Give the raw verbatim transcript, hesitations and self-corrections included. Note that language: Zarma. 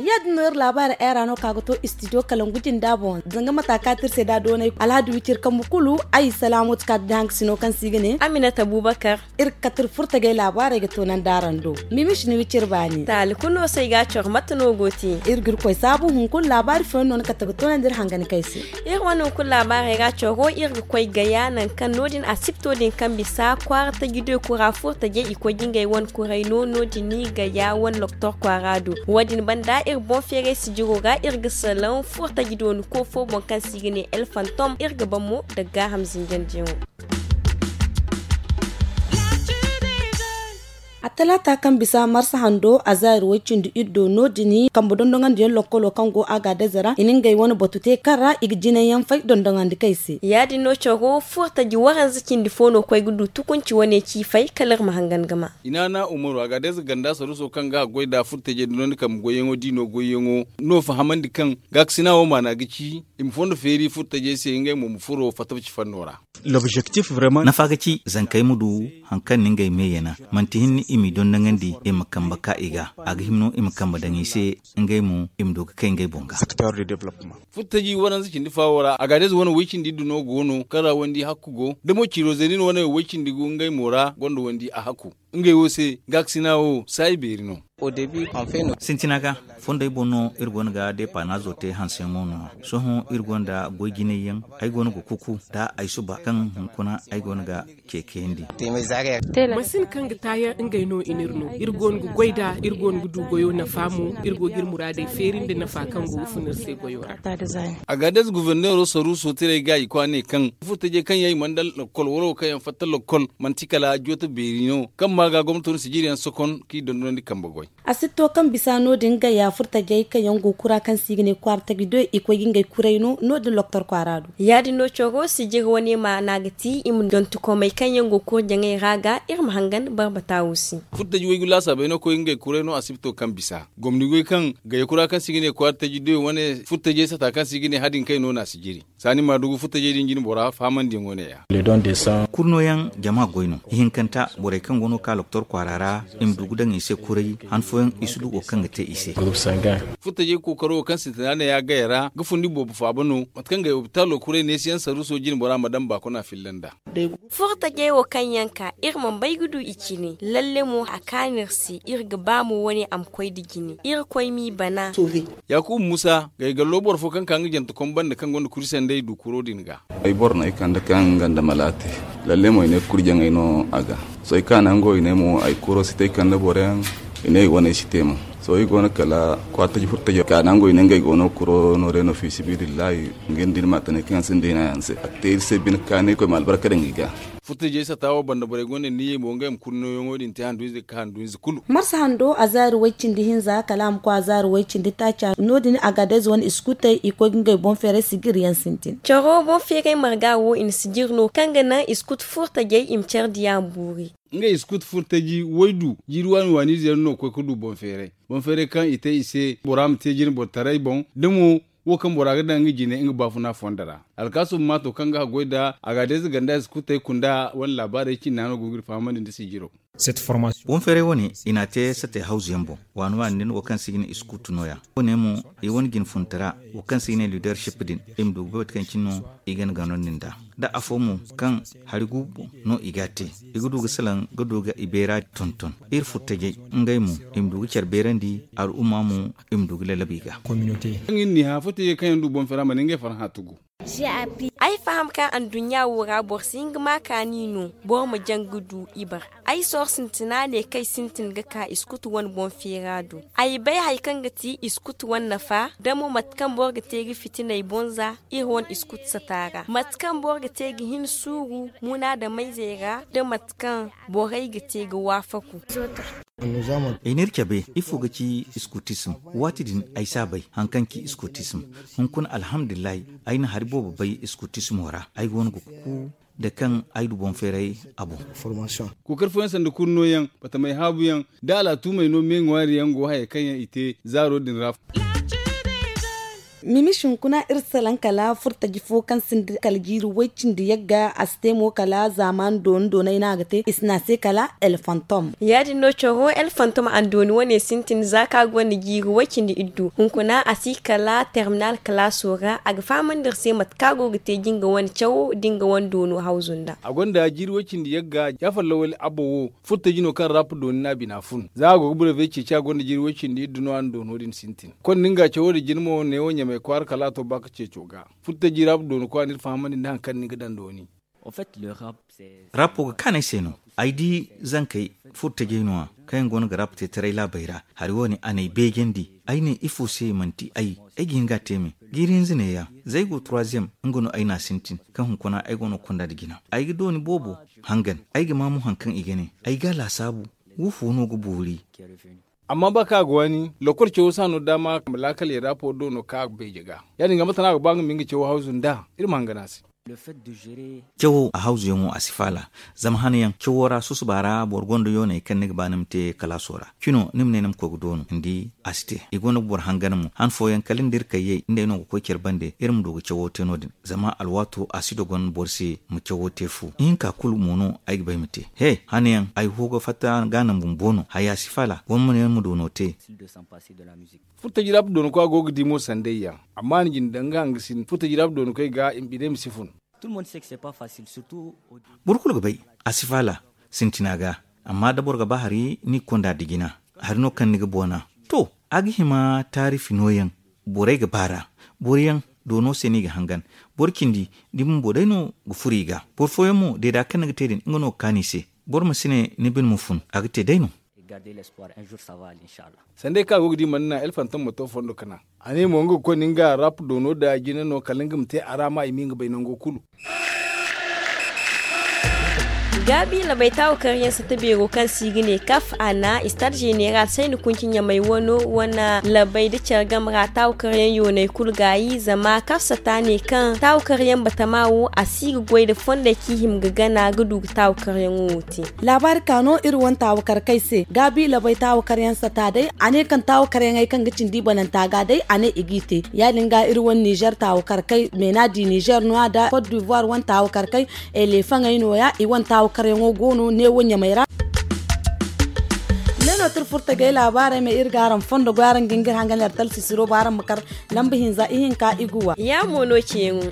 Ya- din no iri laabaari ay ra no ka ga to istidiyo kalangu jinda boŋ, zanga mata ka ti iri se da doonay alhadi wiciri kambu kulu. Ay salaamu ti ka ti da hangasino kaŋ se i ga ne aminata abubakar. Iri ga kate iri furtajey laabaarey ga toonandi araŋ do. Mimish ni wiciri baani taali kulu no se i ga a coro mate no go te. Iri ga iri koy saabu hunkuna laabaari fooyaŋ no ni kate ga toonandi iri hangan kay se. Iri wane hunkuna laabaarey ga a coro iri ga koy gaya nangu kaŋ no- din asipto din kaŋ bisa kwaara taji do i kura furtajey i koy ga ngey wane kuray no no- din ni gaya wane loktor kwaara do. Wo- din banda iri boŋ feeray sijiro ga iri ga salaŋ furtaji dooni koofo boŋ kaŋ se i ga ne elfantom iri ga ban mo daga gaaham zinjandiyaŋo. A talaata kaŋ bisa marsa hando a zaari woy-cindi iddo no- din kambe dondoŋandiyaŋ lokkolo kaŋ go a ga adeze ra i na ngey wane batu te kaŋ ra i ga jinay yaŋ fay dondoŋandi kay se ya- din no coro furtaji waranza cindi fo no koy ga du tukunci wane ci fay kala iri ma hangan ga ma. I naana umaru a ga adeze ganda saruso kaŋ ga a goy nd'a furtajey da no ni kambe goyyaŋo di no goyyaŋo no fahamandi kaŋ gaakasina wo maana ga ci i ma fondo feeri furtajey se ngey mo ma furo fatabci fanno ra. Nafa ga ci zankey ma du hari kaŋ na ngey me yana manti hinne i m'i dondoŋandi i ma kambe ka i ga a ga hima no i ma kambe daŋ i se ngey mo i ma du ga kay ngey boŋ ga. Furtaji waranza cindi faawo ra a ga day za wane way-cindi iddu no go no kaŋ ra wandi hakku go da mo ciiro zeeni no wane way-cindi go ngey mo ra gonda wandi a hakku. Ngey wo se gaakasina wo saayi beeri no. Sintina ga fondey boŋ no iri go no ga deepanaazo te hanseyaŋo no. Sohõ iri gonda goy jinay yaŋ ay go no ga kuku da ay suba kaŋ hunkuna ay go no ga ceekayandi. Masin kaŋ ga taayaŋ ngey no i n'iri no iri go no ga goy nd'a iri go no ga du goyo nafa mo. Iri go ga iri muraadey feeri nda nafa kaŋ go ga fun iri se goyo ra. A ga adez guverneero saruuso tiray ga i kwaanay kaŋ furtajey kaŋ yaŋ i mana daŋ lokkol wala wo kaŋ yaŋ fatta lokkol manti kala jooto beeri no kaŋ ma ga gomnato na sijiriyaŋ sokon kaŋ i dondonandi kambe goy. A si to kaŋ bisa no- din gaya furtajey kaŋ yaŋ go kura kaŋ se i ga ne kwaara taji do i koy ga ngey kuray no no- din loktor kwaara do. Ya- din no coro sijiri wane maana ga ti i ma dontokomey kaŋ yaŋ go kurjaŋey ra ga iri ma hangan barbata wo se. Furtaji waygu laasaabey no koy ga ngey kuray no asibito kaŋ bisa gomni goy kaŋ gaya kura kaŋ se i ga ne kwaara taji do wane furtajey sata kaŋ se i ga ne hadin kay no no a si jiri. Saani maadugu futtajey din jine bora fahamandiyaŋo ne-ya. Kurnooyaŋ jama goy no ihinkanta borey kaŋ go no ka loktor kwaara ra i ma du ga daŋ i se kuray han fooyaŋ i si du wo kaŋ ga te i se. Futtajey kookaro wo kaŋ sintina ne-ya gaya ra ga fundi boobo faaba no mate kaŋ gay opitalo kuray neesiyaŋ saruuso jine bora ma daŋ baakuna filla nd'a. Furtajey wo kaŋ yaŋ ka iri mana bay ga du i cine lalle mo a kaanu iri se iri ga ba mo wane a ma koy nda jine iri koy m'i bana. Yaakuba muusa gay gallo boro fo kaŋ ka nga jante kombanda kaŋ gonda kuri sanday du kuro din ga. Ay boro no ay kande kaŋ nga nda malaate lalle mo i ne kurjaŋey no a ga. Sohõ ay ka nango i ne mo ay kuro si te ay kande boro yaŋ i ne i wane si te mo. Sohõ i go no kala kwaataji furtaji ka nango i ne ngey go no kuro no re no fi sibidillahi. Nga nda ni ma tane kaŋ yaŋ sinda hina yaŋ se a te iri se bine kaanay koy ma albarka daŋ i ga. Furtajey sata wo banda borey gonda niyyey mo ngey ma kurnooyaŋo din te handu-ize ga ka handu-ize kulu. Marsa hando a zaari way-cindi hinza kala a ma koy a zaari way-cindi taaca no- din a ga adayze wane iskutey i koy ga ngey boŋ feeray sijiriyaŋ sintin. Caro boŋ feeray marga wo i na sijiri no kaŋ ga naŋ iskut furtajey i ma care diya ma buuri. Ngey iskut furtaji waydu jiiri waani waaniize yaŋ no koy ga du boŋ feeray boŋ feeray kaŋ i te i se bora ma te jine boro taray boŋ da mo wo kaŋ bora ga daŋ nga jine nga baafuna fondo ra. Alkaasum maato kaŋ ga haggoy nd'a a ga adayze ganda iskutey kunda wane laabaarey cinna no go ga iri fahamandi nda sijiro. Boŋ feeray wane i n'a te sate hawzu yaŋ boŋ waani waani din wo kaŋ se i ga ne iskuutu nooya. Wo- ne mo i wane jinfuntara wo kaŋ se i ga ne liidership din i ma du ga bay mate kaŋ cine no i ga ni ganandi nd'a. Da afo mo kaŋ hari gu boŋ no i ga a te i ga du ga salaŋ ga du ga i beera tonton iri furtajey ngey mo i ma du ga care beerandi al'umma mo i ma du ga lalabu i ga. Kaŋ iri n'i hã furtajey kaŋ yaŋ du boŋ feera mana ngey farhã tugu. Ay faham kaŋ anduɲɲa wo ra boro si hin ga ma kaani no boro ma jaŋ ga du ibar. Ay sohõ sintina ne kaŋ ay sintin ga ka iskutu wane boŋ feera do. Ay bay hari kaŋ ga ti iskutu wane nafa da mo mate kaŋ boro ga te ga fitinay boŋ za iri wane iskutu sata ra mate kaŋ boro ga te ga hin suuru munaadamayzey ra da mate kaŋ borey ga te ga waafaku. I n'iri cabe ifo ga ci iskutism? Waati din ay si a bay hari kaŋ ci iskutism. Hunkuna alhamdulillahi ay na hari boobo bay iskutismo ra ay go no ga ku. nda kaŋ ay du boŋ feeray a boŋ. Kookari fooyaŋ sanda kurno yaŋ, batamey haabu yaŋ, da alaatumey no me ŋwaari yaŋ go hayey kaŋ yaŋ i te zaaro din ra. Mimis hunkuna iri salaŋ kala furtaji fo kaŋ sinda kala jiiri way-cindi yagga a si te mo kala zaamaani dooni doonay no a ga te i si ne a se kala el fantom. Ya- din no coro el fantom a na dooni wane sintin za kaŋ a gonda jiiri way-cindi iddu hunkuna a si kala terminal kalaaso ra a ga fahamandi iri se mate kaŋ a go ga te jinga wane cawo da nga wane doono hawzu nda. A gonda jiiri way-cindi yagga ya fallawali abba wo. Furtaji no kaŋ rap dooni no a bina fun za a go ga burebe ceeci a gonda jiiri way-cindi iddu no a na doono din sintin. Konda nga cawo din jina mo neewo ɲamay kwaara kala a to ba ka ceeco ga. Furtaji rap dooni koy a na iri fahamandi nda hari kaŋ ni ga daŋ dooni. Rap wo ga kaanay se no. Ay di zankey furtajey no- ya kaŋ yaŋ go no ga rap te taray laabey ra. Hari wo- ne a n'ay beejandi ay ne ifo se manti ay ay ga hin ga a te me. Jiiri hinza neeya za ay go turwaziyem nga no ay n'a sintin kaŋ hunkuna ay go no ga konda nda jina. Ay ga dooni boobo hangan. Ay ga ma mo hari kaŋ i ga ne ay ga a laasaabu. Wo fo no ga boori? Amma ba kaŋ a ga waani lokol cawo si a no daama ma laakaley ra po do no kaŋ a ga beeje ga. Ya- din ga mate no a ga ba nga ma nga cawo hawzu nd'a iri ma hangan a se. Cawo a hawzuyaŋo a si faala. Zama hanayaŋ cawo ra susuba ra boro gonda yooney kaŋ ni ga ba ni ma te kalaaso ra cino ni ma ne ni ma koy ga doono ni di. A si te i gonda ga boro hangan mo han fooyaŋ kala ni da iri kayyey nd'ey no ga koy care bande iri ma du ga cawo te no- din. Zama alwaato a si dogon boro se ma cawo te fu ihinka kulu mo no ay ga ba ay ma te he hanayaŋ ay ho ga fatta ga naŋ bumbo no haya si faala boro ma ne ni ma du no te. Furtaji rap doonako a go ga di mo sanday yaŋ. Amma a na jinde daŋ nga hangasin furtaji rap doonakey ga i ma biney ma si fun. Boro kulu ga bay a si faala sintina ga. Amma da boro ga ba hari ni ga konda da jina hari no kaŋ ni ga boona. To a ga hima taarifi nooyaŋ. Borey ga baar'a boro yaŋ doono se no i ga hangan. Boro cindi da i bumbo day no ga furo i ga. Boro fooyaŋ mo deeda kaŋ ni ga te din nga no ga kaanu i se. Boro ma si ne ni bine ma fun a ga te day no. Sanday kaŋ a go ga di mana naŋ elfantom ma to fondo ka naŋ. A ne mo nga ga koy no nga rap doono da jina no kala nga ma te a ra ma i ma nga bay nango kulu. Gaabi labay taawakaryaŋ sata beero kaŋ se i ga ne kaf a na istad zeneral sayni kunci ɲamay wano wane labay da care game ra taawakaryaŋ yoonay kulu gaayi zama kaf sata ne kaŋ taawakaryaŋ batama wo a si ga goy nda fondey kaŋ i hima ga gana ga du ga taawakaryaŋo wo te. Laabaari ka no iri wane taawakarkey se gaabi labay taawakaryaŋ sata day a ne kaŋ taawakaryaŋey kaŋ ga cindi i bananta ga day a ne i g'i te. Ya- din ga iri wane nizer taawakarkey meena di nizer no- ya nda kot divoire wane taawakarkey eleefaŋey no- ya i wane taawakaryaŋo go no neewo ɲamey ra. Ne no tira furtagey laabaarey ma iri ga araŋ fondo goy araŋ ga hin ga iri hangan iri talsisiro ba araŋ ma kar lamba hinza ihinka iguwa. Ya mo no ceeyaŋo.